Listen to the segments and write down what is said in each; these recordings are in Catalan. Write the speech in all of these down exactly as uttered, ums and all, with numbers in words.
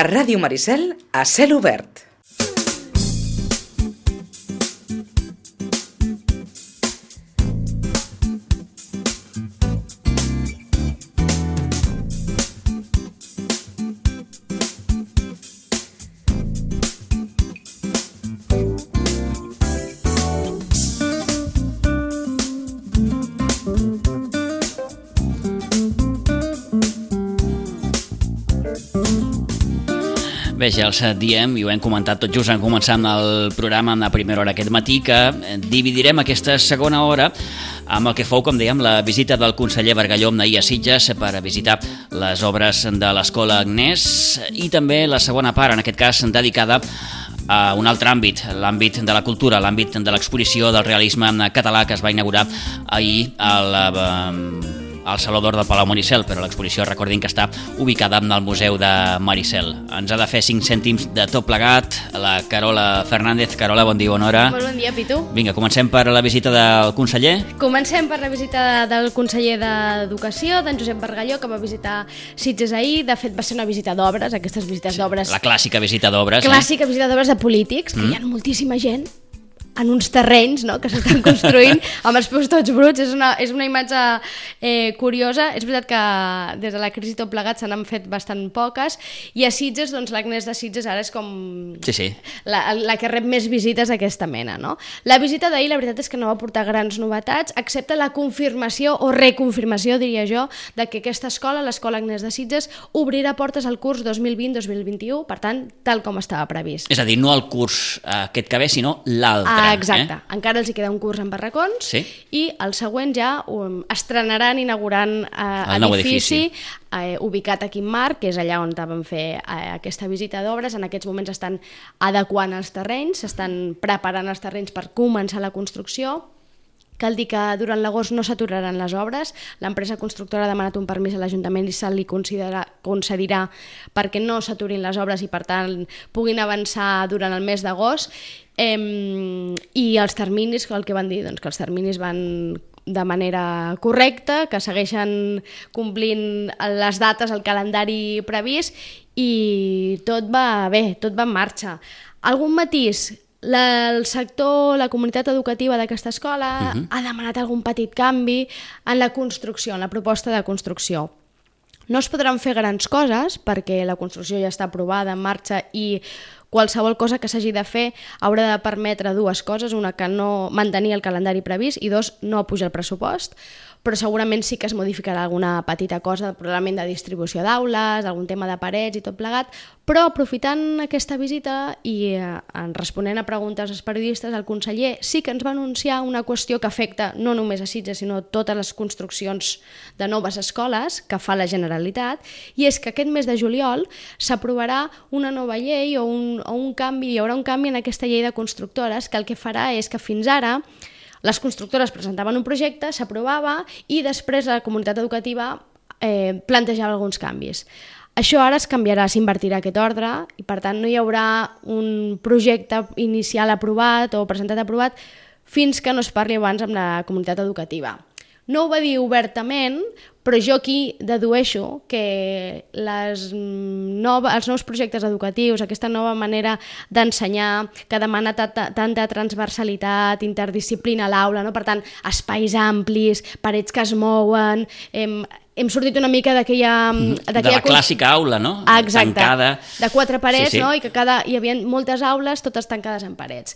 A Ràdio Maricel, a cel obert. Bé, ja els diem, i ho hem comentat tot just en començar amb el programa en la primera hora aquest matí, que dividirem aquesta segona hora amb el que fou, com dèiem, la visita del conseller Bargalló ahir a Sitges per visitar les obres de l'Escola Agnès, i també la segona part, en aquest cas dedicada a un altre àmbit, l'àmbit de la cultura, l'àmbit de l'exposició del realisme català que es va inaugurar ahir al al Saló d'Or del Palau Maricel, però l'exposició, recordin que està ubicada en el Museu de Maricel. Ens ha de fer cinc cèntims de tot plegat la Carola Fernández. Carola, bon dia, bona hora. Molt bon dia, Pitu. Vinga, comencem per la visita del conseller. Comencem per la visita del conseller d'Educació, d'en Josep Bargalló, que va visitar Sitges ahir. De fet, va ser una visita d'obres, aquestes visites Sí, d'obres... la clàssica visita d'obres. Clàssica eh? visita d'obres de polítics, que Mm. hi ha moltíssima gent en uns terrenys, no?, que s'estan construint amb els peus tots bruts. És una, és una imatge eh, curiosa. És veritat que des de la crisi tot plegat se n'han fet bastant poques, i a Sitges, doncs l'Agnès de Sitges ara és com Sí, sí. la, la que rep més visites d'aquesta mena, no? La visita d'ahir, la veritat és que no va portar grans novetats, excepte la confirmació o reconfirmació, diria jo, de que aquesta escola, l'Escola Agnès de Sitges, obrirà portes al curs dos mil vint dos mil vint-i-u, per tant, tal com estava previst. És a dir, no el curs eh, aquest que ve, sinó l'altre. Ah, exacte. Eh? Encara els hi queda un curs en barracons, Sí. i el següent ja um, estrenaran inaugurant eh, El nou edifici, edifici. Eh, ubicat a Quimmarc, que és allà on vam fer eh, aquesta visita d'obres. En aquests moments estan adequant els terrenys, s'estan preparant els terrenys per començar la construcció. Cal dir que durant l'agost no s'aturaran les obres. L'empresa constructora ha demanat un permís a l'Ajuntament i se li concedirà perquè no s'aturin les obres i, per tant, puguin avançar durant el mes d'agost. Eh, I els terminis, el que van dir, doncs que els terminis van de manera correcta, que segueixen complint les dates, el calendari previst, i tot va bé, tot va en marxa. Algun matís? La, el sector, la comunitat educativa d'aquesta escola uh-huh. ha demanat algun petit canvi en la construcció, en la proposta de construcció. No es podran fer grans coses perquè la construcció ja està aprovada, en marxa, i qualsevol cosa que s'hagi de fer haurà de permetre dues coses: una, que no mantenir el calendari previst, i dos, no pujar el pressupost, però segurament sí que es modificarà alguna petita cosa, probablement de distribució d'aules, algun tema de parets i tot plegat. Però aprofitant aquesta visita i eh, responent a preguntes als periodistes, el conseller sí que ens va anunciar una qüestió que afecta no només a Sitges, sinó totes les construccions de noves escoles que fa la Generalitat, i és que aquest mes de juliol s'aprovarà una nova llei o un, o un canvi, hi haurà un canvi en aquesta llei de constructores, que el que farà és que fins ara les constructores presentaven un projecte, s'aprovava, i després la comunitat educativa eh, plantejava alguns canvis. Això ara es canviarà, s'invertirà aquest ordre, i per tant no hi haurà un projecte inicial aprovat o presentat aprovat fins que no es parli abans amb la comunitat educativa. No ho va dir obertament, però jo aquí dedueixo que les nova, els nous projectes educatius, aquesta nova manera d'ensenyar, que demana tanta transversalitat, interdisciplina a l'aula, no? Per tant, espais amplis, parets que es mouen... Hem, hem sortit una mica d'aquella... De la clàssica aula, no? Exacte, tancada. De quatre parets, sí, sí. No? I que cada, hi havia moltes aules, totes tancades en parets.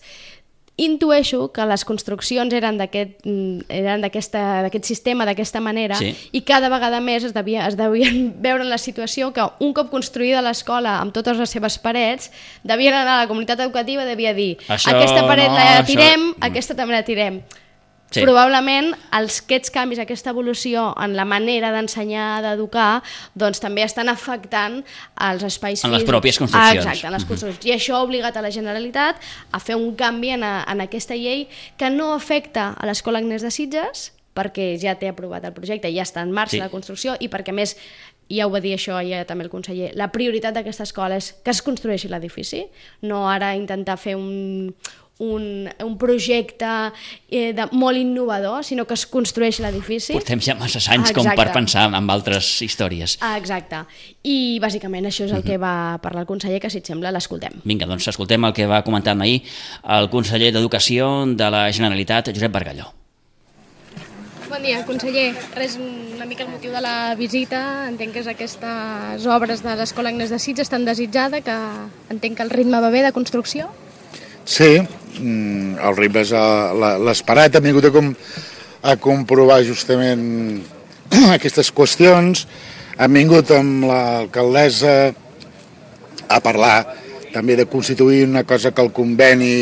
Intueixo que les construccions eren d'aquest eren d'aquest sistema, d'aquesta manera, sí. I cada vegada més es, devia, es devien veure en la situació que un cop construïda l'escola amb totes les seves parets, devien anar a la comunitat educativa i devia dir això, aquesta paret no, la tirem, això... aquesta també la tirem. Sí. Probablement els, aquests canvis, aquesta evolució en la manera d'ensenyar, d'educar, doncs també estan afectant els espais físics. En les pròpies construccions. Ah, exacte, en les construccions. Uh-huh. I això ha obligat a la Generalitat a fer un canvi en, a, en aquesta llei que no afecta a l'Escola Agnès de Sitges, perquè ja té aprovat el projecte, ja està en marxa sí. La construcció, i perquè més, ja ho va dir això ja també el conseller, la prioritat d'aquesta escola és que es construeixi l'edifici, no ara intentar fer un, un, un projecte eh, de, molt innovador, sinó que es construeix l'edifici. Portem ja massa anys Exacte. com per pensar en altres històries. Ah, exacte. I bàsicament això és el que va parlar el conseller, que si et sembla l'escoltem. Vinga, doncs escoltem el que va comentar ahir el conseller d'Educació de la Generalitat, Josep Bargalló. Bon dia, conseller. Res, una mica el motiu de la visita. Entenc que és aquestes obres de l'Escola Agnès de Sitges tan desitjada, que entenc que el ritme va bé de construcció. Sí, el ritme és l'esperat. Hem vingut a, com, a comprovar justament aquestes qüestions. Hem vingut amb l'alcaldessa a parlar també de constituir una cosa que el conveni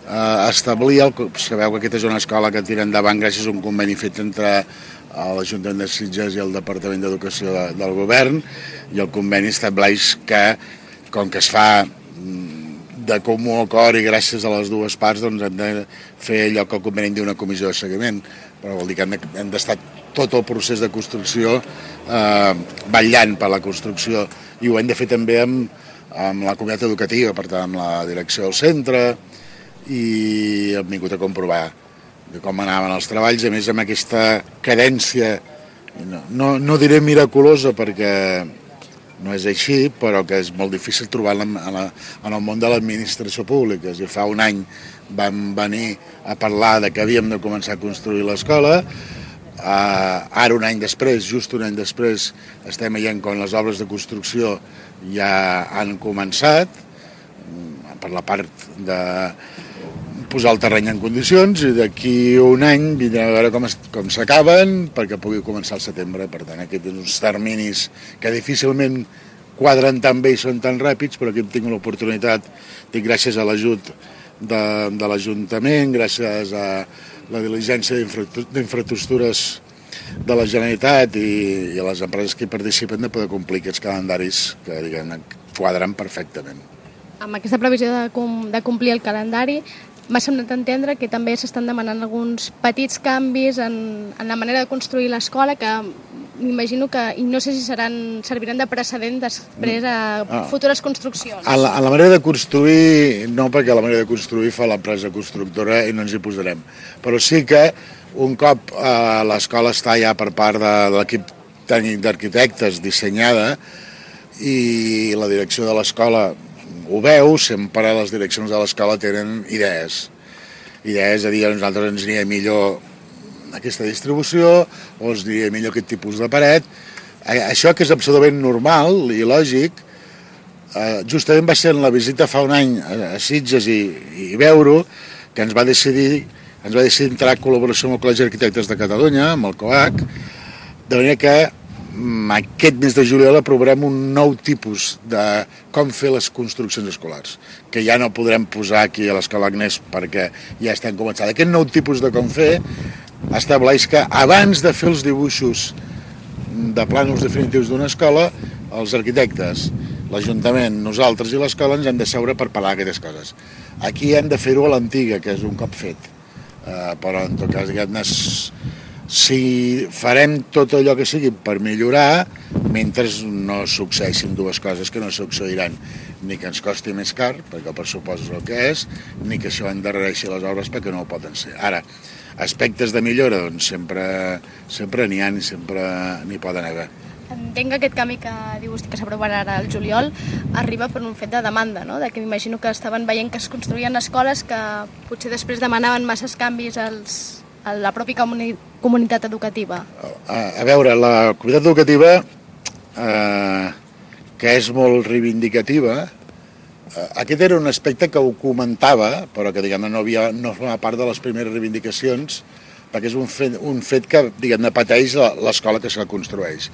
Uh, establir, el, sabeu que aquesta és una escola que tira endavant gràcies a un conveni fet entre l'Ajuntament de Sitges i el Departament d'Educació de, del Govern, i el conveni estableix que, com que es fa de comú acord i gràcies a les dues parts, doncs hem de fer allò que el conveni diu una comissió de seguiment, però vol dir que hem d'estar tot el procés de construcció eh, vetllant per la construcció, i ho hem de fer també amb, amb la comunitat educativa, per tant amb la direcció del centre, i hem vingut a comprovar de com anaven els treballs, a més amb aquesta cadència, no, no, no diré miraculosa perquè no és així, però que és molt difícil trobar-la en, la, en el món de l'administració pública. I fa un any vam venir a parlar de que havíem de començar a construir l'escola, uh, ara un any després, just un any després, estem veient com les obres de construcció ja han començat, per la part de posar el terreny en condicions, i d'aquí un any vindrem a veure com, com s'acaben perquè pugui començar al setembre. Per tant, aquests són uns terminis que difícilment quadren tan bé i són tan ràpids, però aquí tinc l'oportunitat, dic gràcies a l'ajut de, de l'Ajuntament, gràcies a la diligència d'infraestructures de la Generalitat i, i a les empreses que hi participen, de poder complir aquests calendaris que, diguem, quadren perfectament. Amb aquesta previsió de, com, de complir el calendari, m'ha semblat entendre que també s'estan demanant alguns petits canvis en, en la manera de construir l'escola, que m'imagino que, i no sé si seran, serviran de precedent després a ah. futures construccions. A la, a la manera de construir, no, perquè la manera de construir fa l'empresa constructora i no ens hi posarem. Però sí que un cop eh, l'escola està ja per part de, de l'equip tècnic d'arquitectes dissenyada i la direcció de l'escola ho veu, sempre les direccions de l'escola tenen idees. Idees a dir, a nosaltres ens aniria millor aquesta distribució o ens aniria millor aquest tipus de paret. Això, que és absolutament normal i lògic, justament va ser en la visita fa un any a Sitges i, i veure-ho, que ens va decidir ens va decidir entrar en col·laboració amb el Col·legi d'Arquitectes de Catalunya, amb el COAC, de manera que aquest mes de juliol aprovarem un nou tipus de com fer les construccions escolars, que ja no podrem posar aquí a l'Escola Agnès perquè ja estan començades. Aquest nou tipus de com fer estableix que abans de fer els dibuixos de plànols definitius d'una escola, els arquitectes, l'Ajuntament, nosaltres i l'escola ens hem de seure per parlar aquestes coses. Aquí hem de fer-ho a l'antiga, que és un cop fet, uh, però en tot cas, diguem-ne, si farem tot allò que sigui per millorar, mentre no succeeixin dues coses que no succeiran, ni que ens costi més car, perquè el pressupost és el que és, ni que això endarrereixi les obres perquè no ho poden ser. Ara, aspectes de millora, doncs sempre sempre n'hi ha i sempre n'hi poden haver. Entenc que aquest canvi que diu vostè que s'aprovarà ara al juliol arriba per un fet de demanda, no? De que m'imagino que estaven veient que es construïen escoles que potser després demanaven masses canvis als a la pròpia comuni comunitat educativa? A, a veure, la comunitat educativa, eh, que és molt reivindicativa, eh, aquest era un aspecte que ho comentava, però que diguem-ne no, havia, no forma part de les primeres reivindicacions, perquè és un fet, un fet que diguem-ne pateix l'escola que se la construeix.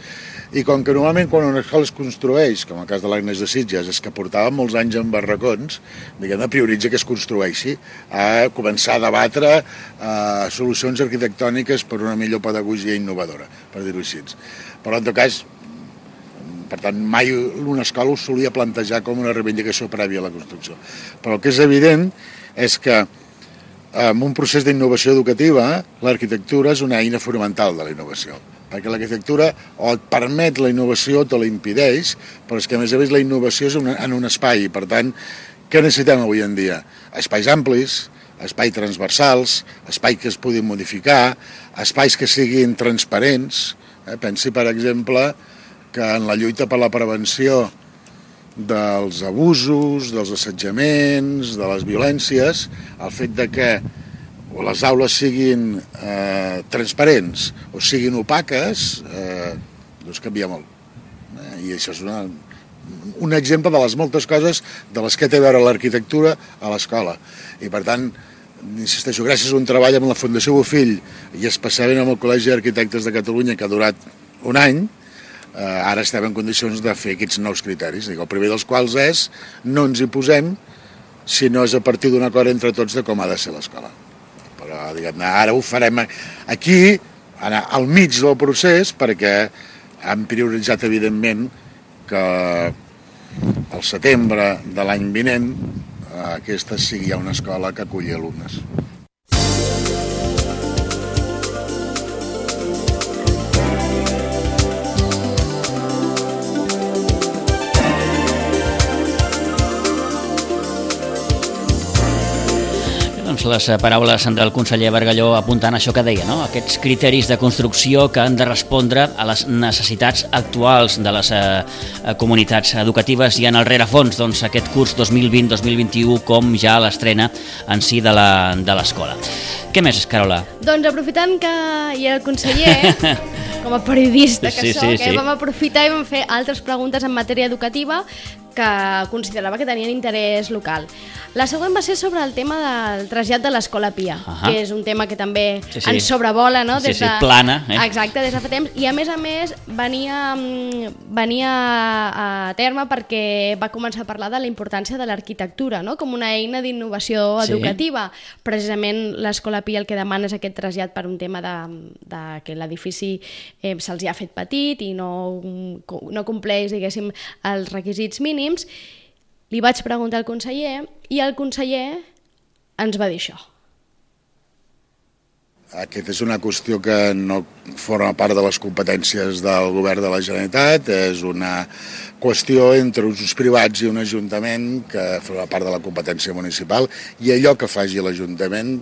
I com que normalment quan una escola es construeix, com el cas de l'Agnès de Sitges, és que portava molts anys en barracons, diguem-ne, prioritza que es construeixi, a començar a debatre eh, solucions arquitectòniques per una millor pedagogia innovadora, per dir-ho així. Però en tot cas, per tant, mai una escola ho solia plantejar com una reivindicació prèvia a la construcció. Però el que és evident és que en un procés d'innovació educativa, l'arquitectura és una eina fonamental de la innovació, perquè l'arquitectura o et permet la innovació o te la impedeix, però és que a més a més la innovació és una, en un espai, i per tant Què necessitem avui en dia? Espais amplis, espais transversals, espais que es puguin modificar, espais que siguin transparents. Eh? Pensi, per exemple, que en la lluita per la prevenció dels abusos, dels assetjaments, de les violències, el fet de que les aules siguin eh, transparents o siguin opaques, eh, doncs canvia molt. Eh? I això és una, un exemple de les moltes coses de les que té a veure l'arquitectura a l'escola. I per tant, insisteixo, gràcies a un treball amb la Fundació Bofill i especialment amb el Col·legi d'Arquitectes de Catalunya, que ha durat un any, eh, ara estem en condicions de fer aquests nous criteris. Dic, el primer dels quals és no ens hi posem si no és a partir d'un acord entre tots de com ha de ser l'escola. Però, diguem-ne, ara ho farem aquí, ara, al mig del procés, perquè hem prioritzat, evidentment, que al setembre de l'any vinent aquesta sigui ja una escola que aculli alumnes. Doncs les paraules del conseller Bargalló apuntant això que deia, no? Aquests criteris de construcció que han de respondre a les necessitats actuals de les eh, comunitats educatives i en el rerefons, doncs, aquest curs dos mil vint dos mil vint-i-u com ja l'estrena en si de l'escola. Què més, Carola? Doncs aprofitant que hi era el conseller, com a periodista que sí, soc, sí, eh, sí. vam aprofitar i vam fer altres preguntes en matèria educativa que considerava que tenien interès local. La següent va ser sobre el tema del trasllat de l'Escola Pia, uh-huh. que és un tema que també sí, sí. ens sobrevola, no? Sí, Des sí, de... plana. Eh? Exacte, des de fa temps. I a més a més venia, venia a terme perquè va començar a parlar de la importància de l'arquitectura, no? Com una eina d'innovació sí. educativa. Precisament l'Escola Pia el que demana és aquest trasllat per un tema de, de que l'edifici eh, se'ls ha fet petit i no, no compleix, diguéssim, els requisits mínims. Li vaig preguntar al conseller i el conseller ens va dir això. Aquesta és una qüestió que no forma part de les competències del govern de la Generalitat, és una qüestió entre usos privats i un ajuntament que forma part de la competència municipal, i allò que faci l'Ajuntament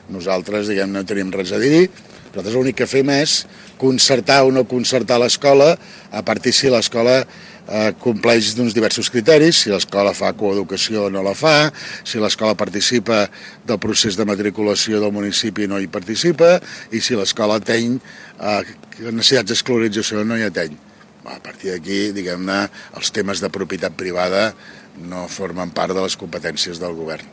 nosaltres, diguem, no tenim res a dir. Nosaltres l'únic que fem és concertar o no concertar l'escola a partir si l'escola eh, compleix d'uns diversos criteris, si l'escola fa coeducació o no la fa, si l'escola participa del procés de matriculació del municipi o no hi participa, i si l'escola ateny eh, necessitats d'escolarització o no hi ateny. A partir d'aquí, diguem-ne, els temes de propietat privada no formen part de les competències del govern.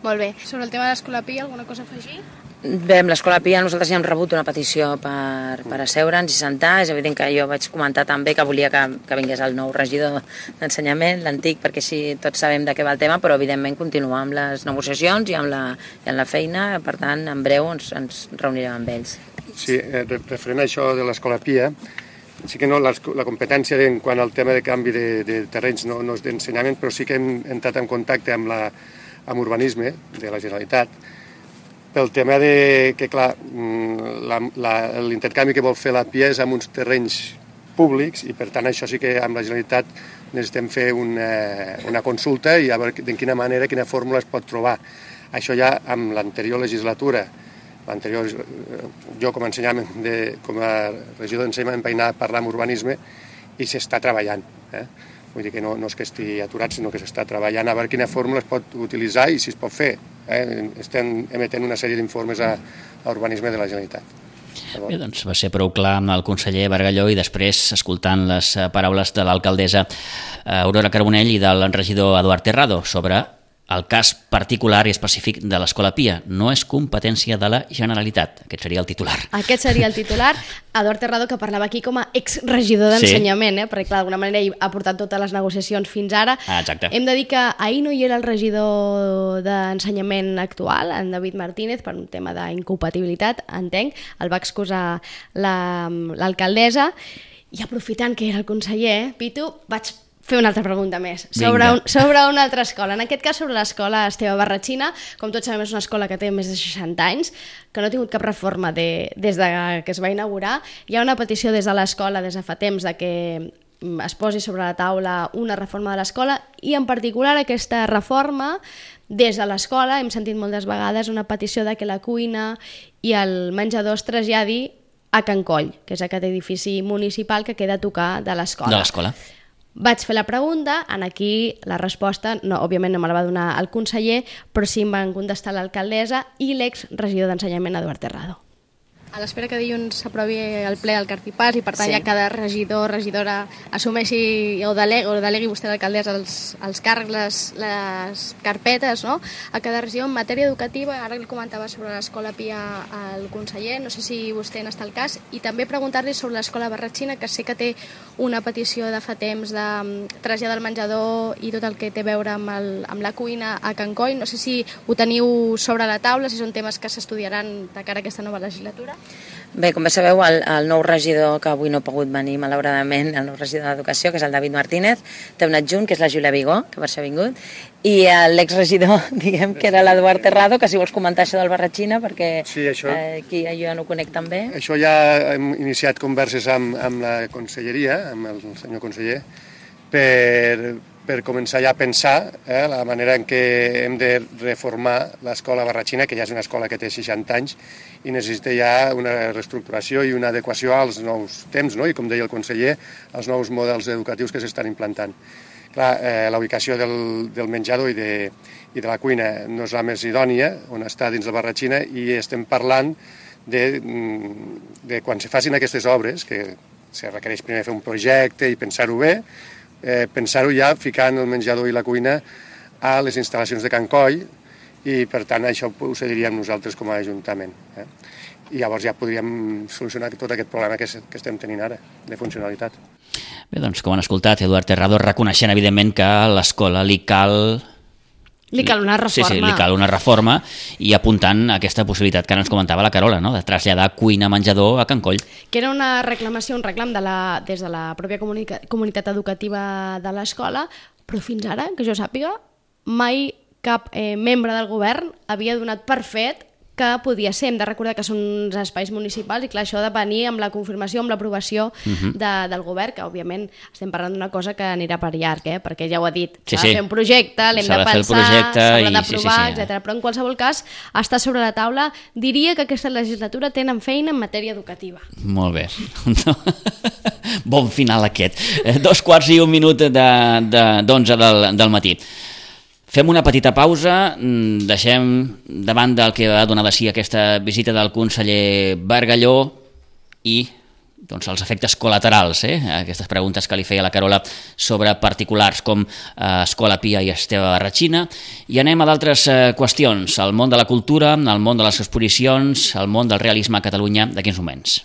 Molt bé. Sobre el tema de l'Escola Pia, alguna cosa a afegir? Bé, amb l'Escola Pia nosaltres ja hem rebut una petició per, per asseure'ns i sentar. És evident que jo vaig comentar també que volia que, que vingués el nou regidor d'ensenyament, l'antic, perquè així tots sabem de què va el tema, però evidentment continuar amb les negociacions i amb la, i amb la feina. Per tant, en breu ens, ens reunirem amb ells. Sí, eh, referent a això de l'Escola Pia, sí que no, la, la competència en quant al tema de canvi de, de terrenys no, no és d'ensenyament, però sí que hem entrat en contacte amb, la, amb urbanisme de la Generalitat, pel tema de que, clar, l'intercanvi que vol fer la Pia és amb uns terrenys públics i, per tant, això sí que amb la Generalitat necessitem fer una, una consulta i a veure de quina manera, quina fórmula es pot trobar. Això ja amb l'anterior legislatura, l'anterior, jo com a ensenyament, de, com a regidor d'ensenyament vaig anar a parlar amb urbanisme i s'està treballant. Eh? Vull dir que no, no és que estigui aturat, sinó que s'està treballant a veure quina fórmula es pot utilitzar i si es pot fer. Eh? Estem emetent una sèrie d'informes a, a urbanisme de la Generalitat. Bé, doncs va ser prou clar amb el conseller Bargalló i després escoltant les paraules de l'alcaldessa Aurora Carbonell i del regidor Eduard Terrado sobre el cas particular i específic de l'Escola Pia. No és competència de la Generalitat. Aquest seria el titular. Aquest seria el titular. Eduard Terrado, que parlava aquí com a exregidor d'ensenyament, sí. eh? Perquè, clar, d'alguna manera ell ha portat totes les negociacions fins ara. Ah, exacte. Hem de dir que ahir no hi era el regidor d'ensenyament actual, en David Martínez, per un tema d'incompatibilitat, entenc. El va excusar l'alcaldessa. I aprofitant que era el conseller, Pitu, vaig fer una altra pregunta més, sobre, un, sobre una altra escola. En aquest cas, sobre l'escola Esteve Barratxina. Com tots sabem, és una escola que té més de seixanta anys, que no ha tingut cap reforma de, des de que es va inaugurar. Hi ha una petició des de l'escola, des de fa temps, de que es posi sobre la taula una reforma de l'escola i en particular aquesta reforma des de l'escola hem sentit moltes vegades una petició de que la cuina i el menjador es traslladi a Can Coll, que és aquest edifici municipal que queda a tocar de l'escola. De l'escola. Vaig fer la pregunta, en aquí la resposta, no, òbviament no me la va donar el conseller, però sí em van contestar l'alcaldessa i l'exregidor d'Ensenyament, Eduard Terrado. A l'espera que dilluns s'aprovi el ple del Cartipàs i per tant Sí. ja cada regidor o regidora assumeixi o delegui, o delegui vostè l'alcaldessa els, els càrrecs, les, les carpetes, no? A cada regió en matèria educativa, ara li comentava sobre l'Escola Pia al conseller, no sé si vostè n'està al cas, i també preguntar-li sobre l'Escola Barratxina, que sé que té una petició de fa temps de traslladar del menjador i tot el que té a veure amb, el, amb la cuina a Can Coll. No sé si ho teniu sobre la taula, si són temes que s'estudiaran de cara a aquesta nova legislatura. Bé, com bé sabeu, el, el nou regidor, que avui no ha pogut venir, malauradament, el nou regidor d'Educació, que és el David Martínez, té un adjunt, que és la Júlia Vigó, que per això ha vingut, i l'exregidor, diguem, que era l'Eduard Terrado, que si vols comentar això del Barratxina, perquè Sí, això. eh, aquí jo ja no ho conec tan bé. Això ja hem iniciat converses amb, amb la conselleria, amb el senyor conseller, per, per començar ja a pensar eh, la manera en què hem de reformar l'escola Barratxina, que ja és una escola que té seixanta anys i necessita ja una reestructuració i una adequació als nous temps, no? I com deia el conseller, als nous models educatius que s'estan implantant. Clar, eh, la ubicació del, del menjador i de, i de la cuina no és la més idònia, on està dins la Barratxina, i estem parlant de, de quan se facin aquestes obres, que se requereix primer fer un projecte i pensar-ho bé, eh, pensar-ho ja ficant el menjador i la cuina a les instal·lacions de Can Coll, i per tant això ho cediríem nosaltres com a Ajuntament. Eh? I llavors ja podríem solucionar tot aquest problema que, que estem tenint ara, de funcionalitat. Bé, doncs, com han escoltat, Eduard Terrado reconeixent, evidentment, que a l'escola li cal... Li cal una reforma. Sí, sí, li cal una reforma i apuntant aquesta possibilitat que ara ens comentava la Carola, no?, de traslladar cuina-menjador a Can Coll. Que era una reclamació, un reclam de la, des de la pròpia comunica, comunitat educativa de l'escola, però fins ara, que jo sàpiga, mai cap eh, membre del govern havia donat per fet que podia ser. Hem de recordar que són uns espais municipals i clar, això ha de venir amb la confirmació, amb l'aprovació uh-huh. de, del govern, que òbviament estem parlant d'una cosa que anirà per llarg, eh? Perquè ja ho ha dit, s'ha sí, sí. de fer un projecte, l'hem de, de pensar, s'haurà d'aprovar, sí, sí, sí. etcètera. Però en qualsevol cas està sobre la taula. Diria que aquesta legislatura tenen feina en matèria educativa. Molt bé. Bon final aquest. Dos quarts i un minut de, de, d'onze del, del matí. Fem una petita pausa, deixem davant del que va donar de si aquesta visita del conseller Bargalló i doncs, els efectes col·laterals, eh? Aquestes preguntes que li feia la Carola sobre particulars com eh, Escola Pia i Esteve Barratxina, i anem a d'altres eh, qüestions, el món de la cultura, el món de les exposicions, el mon del realisme a Catalunya, d'aquí uns moments.